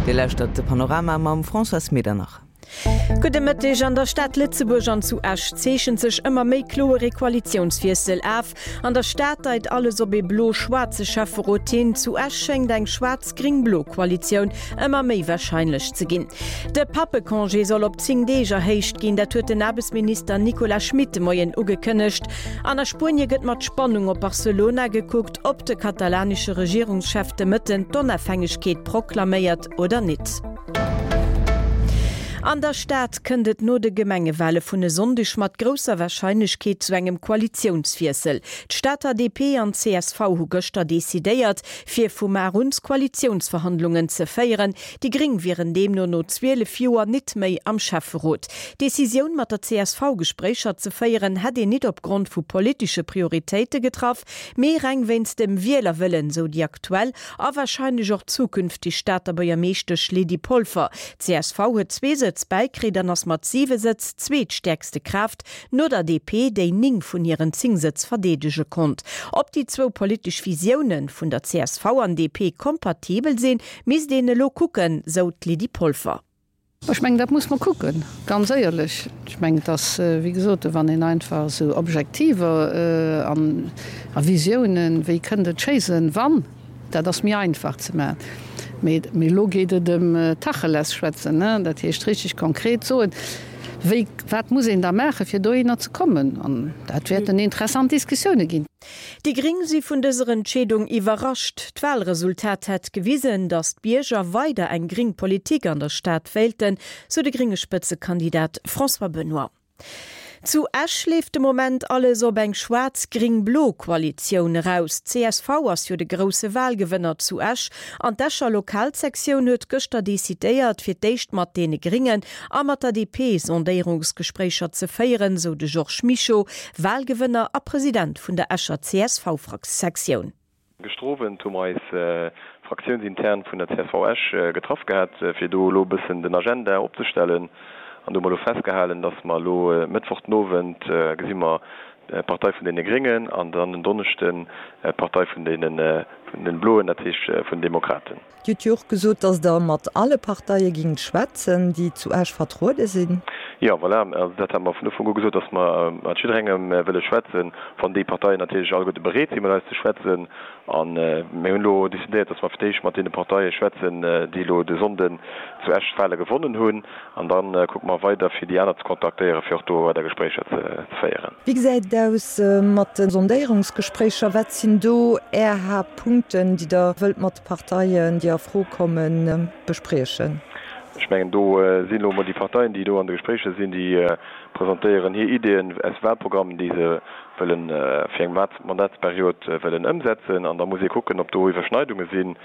Dir lauschtert de Panorama mam Françoise Medernach. Gudde Mëtteg. An der Stad Lëtzebuerg an zu Esch zeechent sech ëmmer méi kloer ee Koalitiounswiessel af. An der Stad deit alles op ee blo-schwaarze Schäfferot hin. Zu Esch schéngt eng schwaarz-gréng-blo Koalitioun ëmmer méi warscheinlech ze ginn. De Pappecongé soll op 10 Deeg erhéicht ginn. Dat huet den Aarbechtsminister Nicolas Schmit de Moien ugekënnegt. An a Spuenie gëtt mat Spannung op Barcelona gekuckt, ob de katalanesche Regierungschef de Mëtten d'Onafhängegkeet proklaméiert oder nit. An der Stad kënnt et no de Gemengewale vun e Sonndeg mat grousser Warscheinlechkeet zu engem Koalitiounswiessel. D'Stater DP an csv hu gëschter decidéiert, fir vu mar un Koalitiounsverhandlungen ze féieren. Déi Gréng wieren deemno no 12 Joer nit méi am Schäfferot. D'Decisioun, mat der csv Gespréicher ze féieren, hätt een nit opgrond vu politesche Prioritéite getraff, mee reng wéinst dem Wielerwëllen, sou déi aktuell a warscheinlech och zukünfteg Stater Buergermeeschtesch Lydie Polfer. Csv huet zwee Sëtz bäikritt an ass mat siwe Sëtz zweetstäerkste Kraaft, no der DP, déi 9 vun hiren 10 Sëtz verdeedege konnt. Ob déi zwou politesch Visioune vun der csv an DP kompatibel sinn, misst een elo kucken, sou d'Lydie Polfer. Ech mengen, dat muss mer kucken, ganz éierlech. Ech mengen, et ass, wéi gesot, wann een einfach esou Objektiver an a Visiounen, wéi kënnt et schéi sinn, wann, dat ass méi einfach ze maachen. Mee, mee elo geet et ëm Tacheles schwätzen, dat heescht richtig konkret soen, wéi, wat muss een da maachen, fir dohinner ze kommen. An dat wäerten interessant Diskussioune ginn. Déi Gréng si vun dëser Entscheedung iwwerrascht. D'Walresultat hätt gewisen, datt d'Bierger weider eng gréng Politik an der Stad wéilten, sou de grénge Spëtzekandidat François Benoy. Zu Esch leeft de Moment alles op eng schwaarz-gréng-blo Koalitioun eraus. Csv ass jo de grousse Walgewënner zu Esch an d'Escher Lokalsektioun huet gëschter decidéiert, fir d'éischt mat deene Gréngen a mat der DP Sondéierungsgespréicher ze féieren, sou de Georges Mischo, Walgewënner a President vun der Escher CSV-Fraktioun. Gëschter Owend hu mer eis fraktiounsintern vun der csv Esch getraff gehat, fir do elo e bëssen den Agenda opzestellen. An do hu mer elo festgehalen, dass mer elo Mëttwoch den Owend gesi mer d'Partei vun deene Gréngen an dann en Donneschden d'Partei vun deene Bloen, dat heescht vun den Demokraten. Dir hutt jo och gesot, datt Der mat alle Parteie gingt schwätzen, déi zu Esch vertruede sinn. Jo, voilà. Also dat hate mer vun Ufank u gesot, datt mer mat jidderengem wëlle schwätzen, wann déi Parteien natierlech alleguerte bereet sinn, mat eis ze schwätzen. A mir hunn elo decidéiert, datt mer fir d'éischt mat deene Parteie schwätzen, déi elo de Sonnden zu Esch d'Wale gewonnen hunn. An da kucke mer weider, fir déi aner ze kontaktéieren, fir och do weider Gespréicher ze féieren. Wéi gesäit et aus mat de Sondéierungsgespréicher? Wat sinn do Är Haaptpunkten, déi Der wëllt mat de Parteien, déi a Fro kommen, bespriechen? Ech mengen, do sinn elo emol déi Parteien, déi do an de Gespréicher sinn, déi presentéieren hir Ideeën aus Wahlprogrammen, déi se wëllen fir eng Mandatsperiod wëllen ëmsetzen. An da muss ee kucken, ob do Iwwerschneidunge sinn,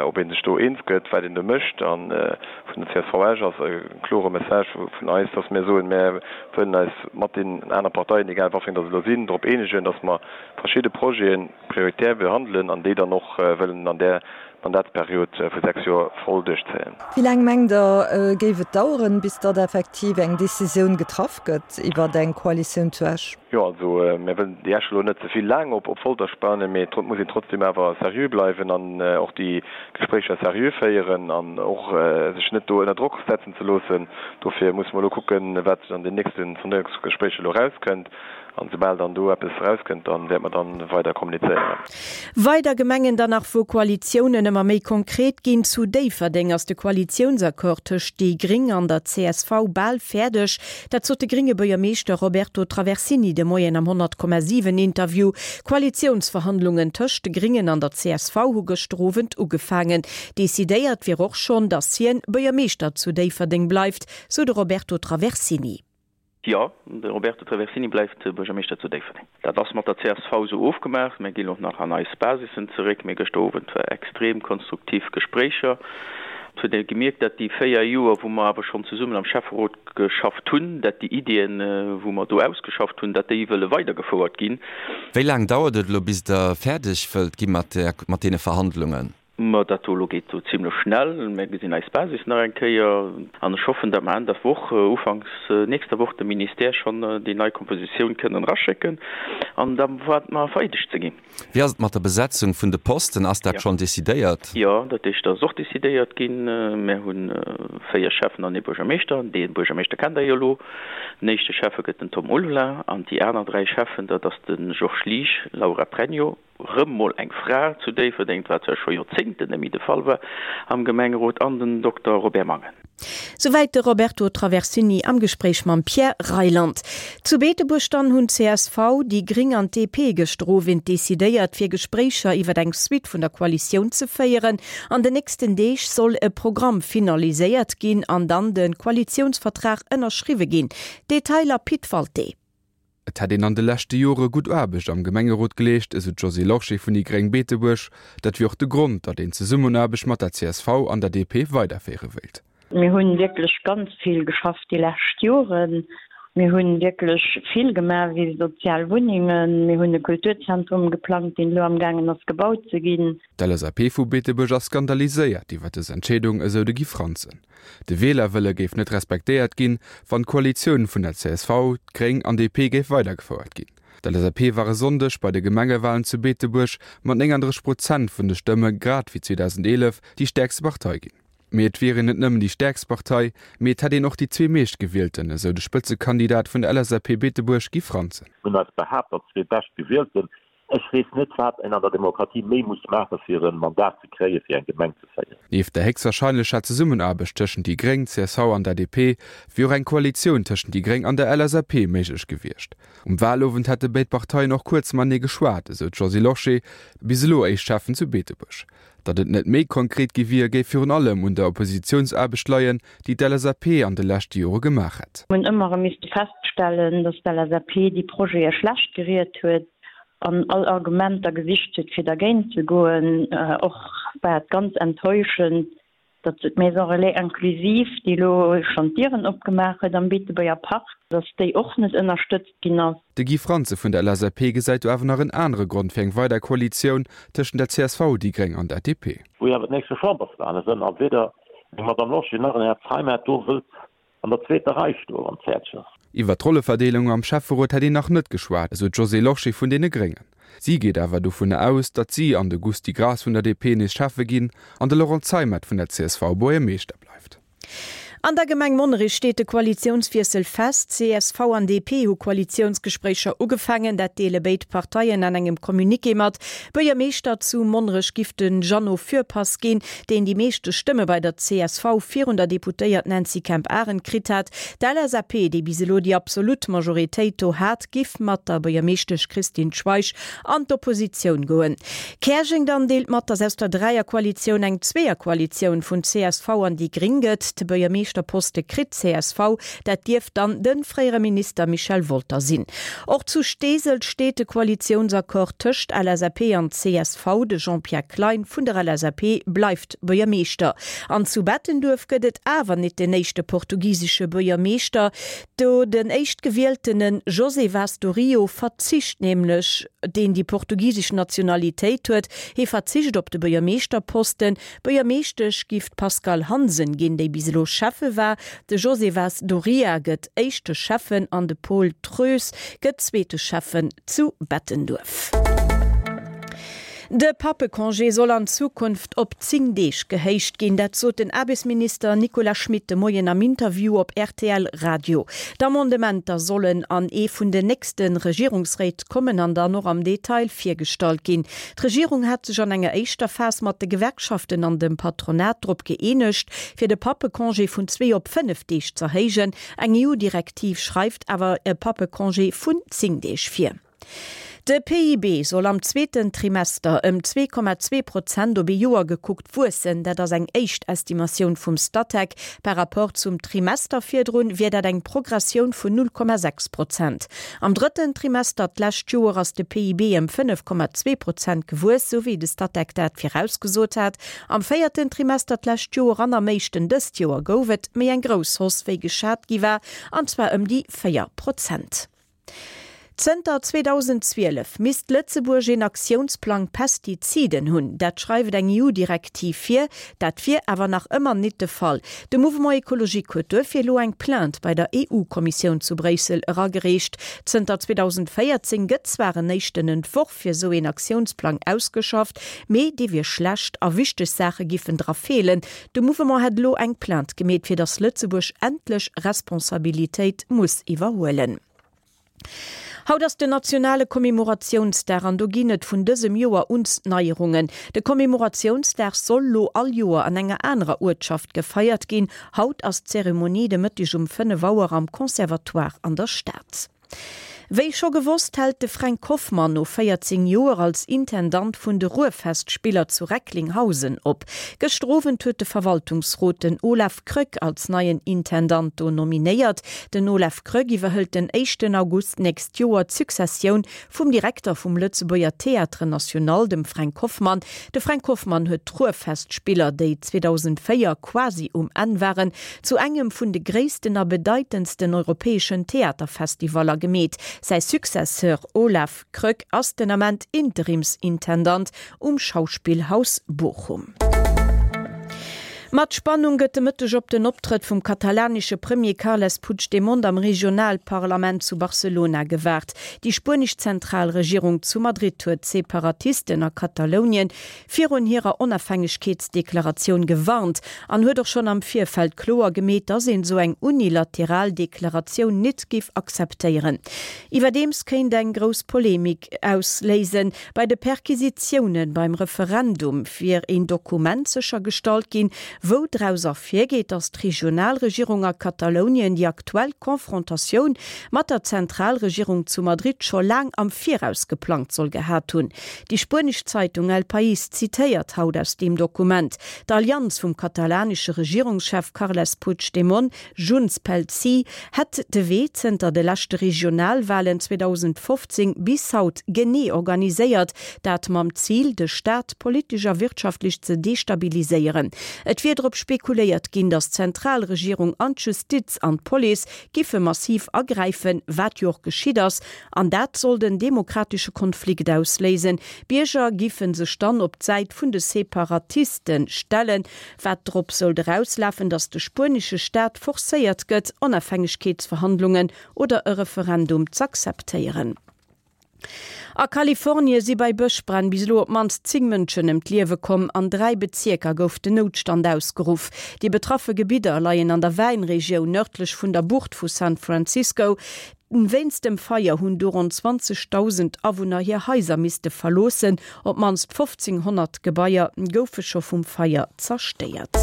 ob ee sech do eens gëtt, wat een do mécht. A vun der csv Esch ass e klore Message vun eis, dass mir soen, mir wëllen eis mat deenen aner Parteien, egal wat fir eng dass et elo sinn, drop eenegen, dass mer verschidde Projete prioritär behandelen an déi dann och wëllen an där Mandatsperiod vu 6 Joer voll duerchzéien. Wéi laang mengt Der, géif et daueren, bis datt effektiv eng Decisioun getraff gëtt iwwert eng Koalitioun zu Esch? Jo, also mir wëllen déi Esch elo net ze vill laang op Folter spannen, mee et muss een trotzdem awer seriö bleiwen an och déi Gespréicher seriö féieren an och sech net do ënner Drock setzen ze loossen. Dofir musse mer elo kucken, wat an den nächste Sondéierungsgespréicher elo erauskënnt. An soubal dann do eppes erauskënnt, dann wäerte mer dann weider kommunizéieren. Weider Gemengen dann nach, wou Koalitiounen ëmmer méi konkret ginn. Zu Déifferdeng ass de Koalitiounsaccord tëscht déi Gréng an der csv bal fäerdeg. Dat sot de grénge Buergermeeschter Roberto Traversini de Moien am 100,7 Interview. Koalitiounsverhandlungen tëscht de Gréngen an der csv hu gëschter Owend ugefaangen. Decidéiert wier och schonn, datt hien Buergermeeschter zu Déifferdeng bleift, sou de Roberto Traversini. Jo, de Roberto Traversini bleift Buergermeeschter zu Déifferdeng. Dat ass mat der csv esou ofgemaach. Mir ginn och nach an eis Basissen zeréck. Mee gëschter Owend war extrem konstruktiv Gespréicher. Et huet ee gemierkt, dat déi 4 Joer, wou mer awer schonn zesummen am Schäfferot geschafft hunn, dat déi Iddien, wou mer do ausgeschafft hunn, dat déi wëlle weidergefouert ginn. Wéi laang dauert et elo, bis Der fäerdeg wëllt gi mat deene Verhandlungen? Ma dat do elo geet do zimlech schnell. Mir gesinn eis Basis nach eng Kéier an ech hoffen, datt mer Enn der Woch, ufanks nächster Woch dem Ministère schonn déi nei Kompositioun kënnen eraschécken an da waarde mer vereedegt ze ginn. Wéi ass et mat der Besetzung vun de Posten? Ass dat schonn decidéiert? Jo, dat heescht, dat ass och decidéiert ginn. Mir hu 4 Schäffen an ee Buergermeeschter. Dee Buergermeeschter kennt Der jo elo. Den éischte Schäffe gëtt den Tom Ulvelin an déi aner 3 Schäffen, dat ass de Georges Liesch, Laura Pregno, rëm mol eng Fra zu Déifferdeng, wat zwar scho Joerzéngten net méi de Fall war am Gemengerot, an den Dokter Robert Mangen. Souwäit de Roberto Traversini am Gespréich mam Pierre Reyland. Zu Beetebuerg dann hunn csv, déi gréng an d'DP gëschter Owend decidéiert, fir Gespréicher iwwer eng Suite vun der Koalitioun ze féieren. An den nächsten Deeg soll e Programm finaliséiert ginn an dann de Koalitiounsvertrag ënnerschriwwe ginn. Detailer Pit Walté. Et hätt een an de leschte Jore gutt Aarbecht am Gemengerot geleescht, esou d'Josée Lorsché vun déi gréng Beetebuerg. Dat wier och de Grond, datt een d'Zesummenaarbecht mat der csv an der DP weiderféiere wéilt. Mir hu wierklech ganz vill geschafft déi lescht Joren. Mir hu wierklech vill gemaach wéi sozial Wunnengen. Mir hunn e Kulturzentrum geplangt, deen elo amgaangen ass gebaut ze ginn. D'LSAP vu Beetebuerg ass skandaliséiert iwwer dës Entscheedung, esou de Guy Franzen. De Wielerwëlle géif net respektéiert ginn, wann d'Koalitioun vun der csv, d'Gréng an DP géif weidergefouert ginn. D'LSAP war e Sonndeg bei de Gemengewalen zu Beetebuerg mat 39 Prozent vun de Stëmme grad wéi 2011 déi stäerkste Partei ginn. Mee et wier een net nëmmen déi stäerkst Partei, mee et hätt een och déi zwee meeschtgewielten, esou de Spëtzekandidat vun der LSAP Beetebuerg Guy Franzen. Mir hunn eis behaapt als zwee Beschtgewielten. Ech weess net, wat een an der Demokratie méi muss maachen, fir e Mandat ze kréien, fir eng Gemeng ze féieren. Nieft der héchstwahrscheinlecher Zesummenaarbecht tëschent déi Gréng, csv an der DP wier och eng Koalitioun tëschent déi Gréng an der LSAP méiglech gewiescht. Um Wahlowend hätte béid Parteien och kuerz matenee geschwat, esou d'Josée Lorsché, bis elo éischt Schäffen zu Beetebuerg. Datt et net méi konkret gi wier, géif virun allem un der Oppositiounsaarbecht leien, déi d'LSAP an de leschte Jore gemaach hätt. Mir hunn ëmmer erëm misste feststellen, datt d'LSAP déi Projete schlecht geriet huet an all Argumenter gesicht huet, fir dergéint ze goen. Och war et ganz enttäuschend, datt d'Maison Relais Inclusive, déi elo schonn d'Dieren opgemaach huet am Beetebuerger Park, datt déi och net ënnerstëtzt ginn ass. De Guy Franze vun der LSAP gesäit do awer nach en anere Grond fir eng weider Koalitioun tëschent der csv, déi Gréng an der DP. Wou jo awer d'nächste Chamberswale sënn a weder eng Madame Lorsché nach en Här Zeimet do wëllt an der zweeter Rei stoen, wann et fäerdeg ass. Iwwer d'Rolleverdeelung am Schäfferot hätt een nach net geschwat, esou d'Josée Lorsché vun deene Gréngen. Si geet awer dovunner aus, datt si an de Gusty Graas vun der DP nees Schäffe ginn an de Laurent Zeimet vun der csv Buergermeeschter bleift. An der Gemeng Monnerech steet de Koalitiounswiessel fest. Csv an DP hu Koalitiounsgespréicher ugefaangen. Dat deele béid Parteien an engem Communiqué mat. Buergermeeschter zu Monnerech giff de Jeannot Fürpass ginn, deen déi meeschte Stëmme bei der csv virun der Deputéiert Nancy Kemp-Arendt kritt hat. D'LSAP, déi bis elo déi absolut Majoritéit do hat, giff mat der Buergermeeschtesch Christine Schweich an d'Oppositioun goen. Käerjeng dann deelt mat, datt aus der Dräierkoalitioun eng Zweeërkoalitioun vun csv an déi Gring gëtt. De Buergermeeschterposte kritt csv, dat dierft dann de fréiere Minister Michel Wolter sinn. Och zu Steesel steet de Koalitiounsaccord tëscht LSAP an csv. De Jean-Pierre Klein vun der LSAP bleift Buergermeeschter. An zu Bettenduerf gëtt et awer nit den éischte portugisesche Buergermeeschter. Do den éischtgewieltene José Vaz do Rio verzicht nämlech, deen déi portugisesch Nationalitéit huet, hie verzicht op de Buergermeeschterposten. Buergermeeschtesch giff d'Pascale Hansen ginn, déi bis elo Schäffe war. De José Vaz do Ria gëtt éischte Schäffen an de Paul Treus gëtt zweete Schäffen zu Bettenduerf. De Pappecongé soll an Zukunft op 10 Deeg gehéicht ginn. Dat sot den Aarbechtsminister Nicolas Schmit de Moien am Interview op rtl Radio. D'Amendementer sollen an ee vun den nächste Regierungsréit kommen an dann och am Detail virgestallt ginn. D'Regierung hat sech an enger éischter Phas mat de Gewerkschaften an dem Patronat drop gëeenegt, fir de Pappecongé vun zwee op 5 Deeg z'erhéijen. Eng EU-Direktiv schreift awer e Pappecongé vun 10 Deeg vir. De PIB soll am zweeten Trimester ëm 2,2 Prozent op ee Joer gekuckt wuessen. Dat ass eng éischt Estimatioun vum Statec. Par Rapport zum Trimester virdrun wier dat eng Progressioun vun 0,6 Prozent. Am drëtten Trimester d'lescht Joer ass de PIB ëm 5,2 Prozent gewuess, sou wéi de Statec dat virausgesot hat. Am véierten Trimester d'lescht Joer an am éischten dëst Joer gouf et méi eng grouss Hausse wéi geschat gi war, an zwar ëm déi 4 Prozent. Zënter 2012 misst Lëtzebuerg een Aktiounsplang Pestiziden hunn. Dat schreift eng EU-Direktiv vir. Dat wier awer nach ëmmer nit de Fall. De Mouvement Ecologique huet duerfir elo eng Plainte bei der EU-Kommissioun zu Bréissel eragereecht. Zënter 2014 gëtt zwar en éischten Entworf fir esou een Aktiounsplang ausgeschafft, mee dee wier schlecht a wichteg Saache giffen dra feelen. De Mouvement hätt elo eng Plainte gemeet, fir datt Lëtzebuerg endlech Responsabilitéit muss iwwerhuelen. Haut ass den nationale Commemoratiounsdag an do ginn et vun dësem Joer uns Neierungen. De Commemoratiounsdag soll lo all Joer an enger anerer Uertschaft gefeiert ginn. Haut ass d'Zeremonie de Mëtteg um 5 Auer am Conservatoire an der Stad. Wéi scho gewosst, hält de Fränk Hoffmann no 14 Joer als Intendant vun de Ruhrfestspiller zu Recklinghausen op. Gëschter Owend huet de Verwaltungsrot den Olaf Kröck als neien Intendant do nominéiert. Den Olaf Kröck iwwerhëlt den éischten August d'nächst Joer d'Successioun vum Direkter vum Lëtzebuerger Théâtre National, dem Fränk Hoffmann. De Fränk Hoffmann huet d'Ruhrfestspiller, déi 2004 quasi um Enn waren, zu engem vun de gréissten a bedeitendsten europäeschen Theaterfestivaller gemeet. Säi Successeur Olaf Kröck ass den Ament Interimsintendant um Schauspielhaus Bochum. Mat Spannung gëtt de Mëtteg op den Optrëtt vum katalanesche Premier Carles Puigdemont am Regionalparlament zu Barcelona gewaart. Déi spuenesch Zentralregierung zu Madrid huet d'Separatisten a Katalounien virun hirer Onafhängegkeetsdeklaratioun gewarnt an huet och schonn am Virfeld kloer gemeet, datt een esou eng unilateral Deklaratioun nit giff akzeptéieren. Iwwerdeems kéint eng grouss Polemik ausléisen, Bei de Perquisitioune beim Referendum wier een Dokument séchergestallt ginn, wou draus ervirgeet, datt d'Regionalregierung a Katalounien déi aktuell Confrontatioun mat der Zentralregierung zu Madrid scho laang am Viraus geplangt soll gehat hunn. Déi spuenesch Zeitung El País zitéiert haut aus deem Dokument. D'Allianz vum katalanesche Regierungschef Carles Puigdemont Junts pel Sí hätt de Wee zënter de leschte Regionalwalen 2015 bis haut genee organiséiert, dat mam Zil, de Staat politesch a wirtschaftlech ze destabiliséieren. Et wier drop spekuléiert ginn, datt d'Zentralregierung an d'Justiz an d'Police giffe massiv agräifen, wat jo och geschitt ass, an dat sollt en demokratesche Konflikt ausléisen. D'Bierger giffe sech dann op d'Säit vun de Separatiste stellen. Wat drop sollt erauslafen, datt de spuenesche Staat forcéiert gëtt, Onafhängegkeetsverhandlungen oder e Referendum z'akzeptéieren. A Kalifornie si bei Bëschbränn bis elo op d'mannst 10 Mënschen ëm d'Liewe komm. An 3 Bezierker gouf den Noutstand ausgeruff. Déi betraffe Gebidder leien an der Wäinregioun nërdlech vun der Bucht vu San Francisco. Wéinst dem Feier hunn du ronn 20.000 Awunner hir Haiser misste verloossen. Op d'mannst 1.500 Gebaier goufe scho vum Feier zerstéiert.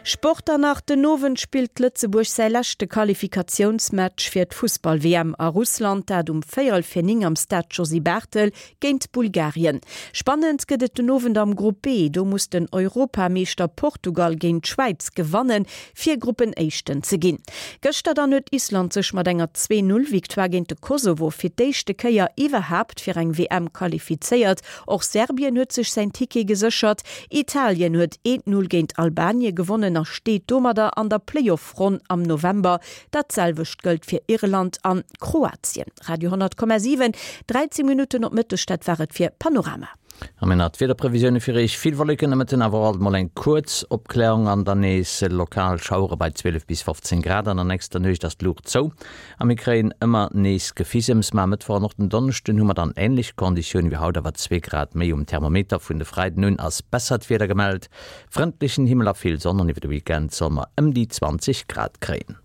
Sport Dann nach den Owend spillt Lëtzebuerg säi leschte Qualifikatiounsmatch fir d'Fussball-WM a Russland, dat um véierel fir 9 am Stade Josy Barthel géint Bulgarien. Spannend gëtt et den Owend am Grupp B. Do muss den Europameeschter Portugal géint d'Schwäiz gewannen, fir Gruppenéischten ze ginn. Gëschter dann huet Island sech mat enger 2, 0 Victoire géint de Kosovo fir d'éischte Kéier iwwerhaapt fir eng WM qualifizéiert. Och Serbien huet sech säin Ticket geséchert. Italien huet 1, 0 géint Albanien gewonnen a steet domadder an der Playoff-Ronn am November. Dat selwecht gëllt fir Irland an Kroatien. Radio 10,7, 13 Minutten op Mëtteg, dat war et fir Panorama. A mir nach d'Wiederprevisioune fir Iech, Vill Wolleken, de Mëtten awer och alt mol eng kuerz Opklärung an dann nees lokal Schauere bei 12 bis 15 Grad. An der nächster Nuecht ass d'Luucht zou a mir kréien ëmmer nees Gefisems. Ma e Mëttwoch an och den Donneschden hu mer dann änlech Konditioune wéi haut, awer zwee Grad méi um Thermometer. Vun de Freiden un ass bessert Wieder gemellt, frëndlechen Himmel a vill Sonn an iwwer de Weekend solle mer ëm déi 20 Grad kréien.